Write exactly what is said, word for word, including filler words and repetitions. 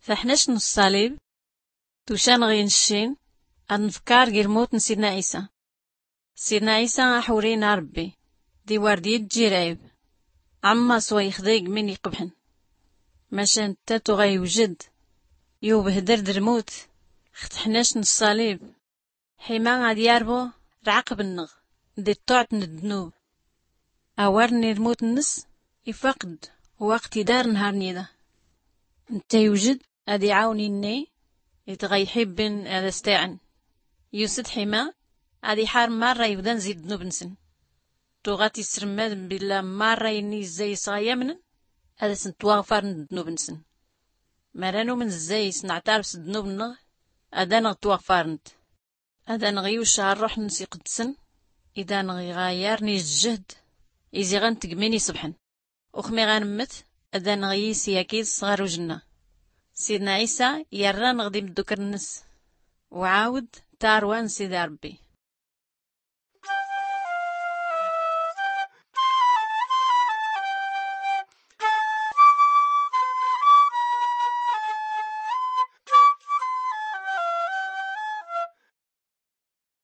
Taḥnact n ṣṣalib tuca-nɣ i nccin ad-nfkkar g-irmut n-sidna ɛisa. Sidna ɛisa aḥ-ur-ina rbbi d-iwar d-iǧǧi rɛib, ɛmmaṣ wa ixḍa-yi g-min-iqbḥn. Maca ntta tuɣa iwjed i-ubhder d-rmut x-tḥnact n-ṣṣalib, ḥima ad-yarbu rɛaqb-nnɣ di-ṭṭuɛt n-ddnub. Awar n-irmut-nns ifaq-d waqt idar nhar n-ida. Ntta iwjed ad-iɛawn inni-i-dɣa iḥibbn ad-as-t-iɛn. Yus-d ḥima ad-iḥar marra ibdan zi-ddnub-nsn. Tuɣa tisrmad billa marra inni-i zzay-s ɣa-yamnn ad-asn-twaɣfarn ddnub-nsn. Mara numn zzay-s nɛtarf s-ddnub-nnɣ ad-anɣ-twaɣfarnt. Ad-anɣ-iwc ɣar ruḥ-nns iqdsn id-anɣ-iɣayarn i-ǧǧhd iziɣan tgmin iṣbḥn. Uxmi ɣa-nmmt ad-anɣ-iyis yakid s-ɣar ujnna. Sidna ɛisa yarra-nɣ d-imddukr-nns. Uɛawd tarwa n-sidi rbbi.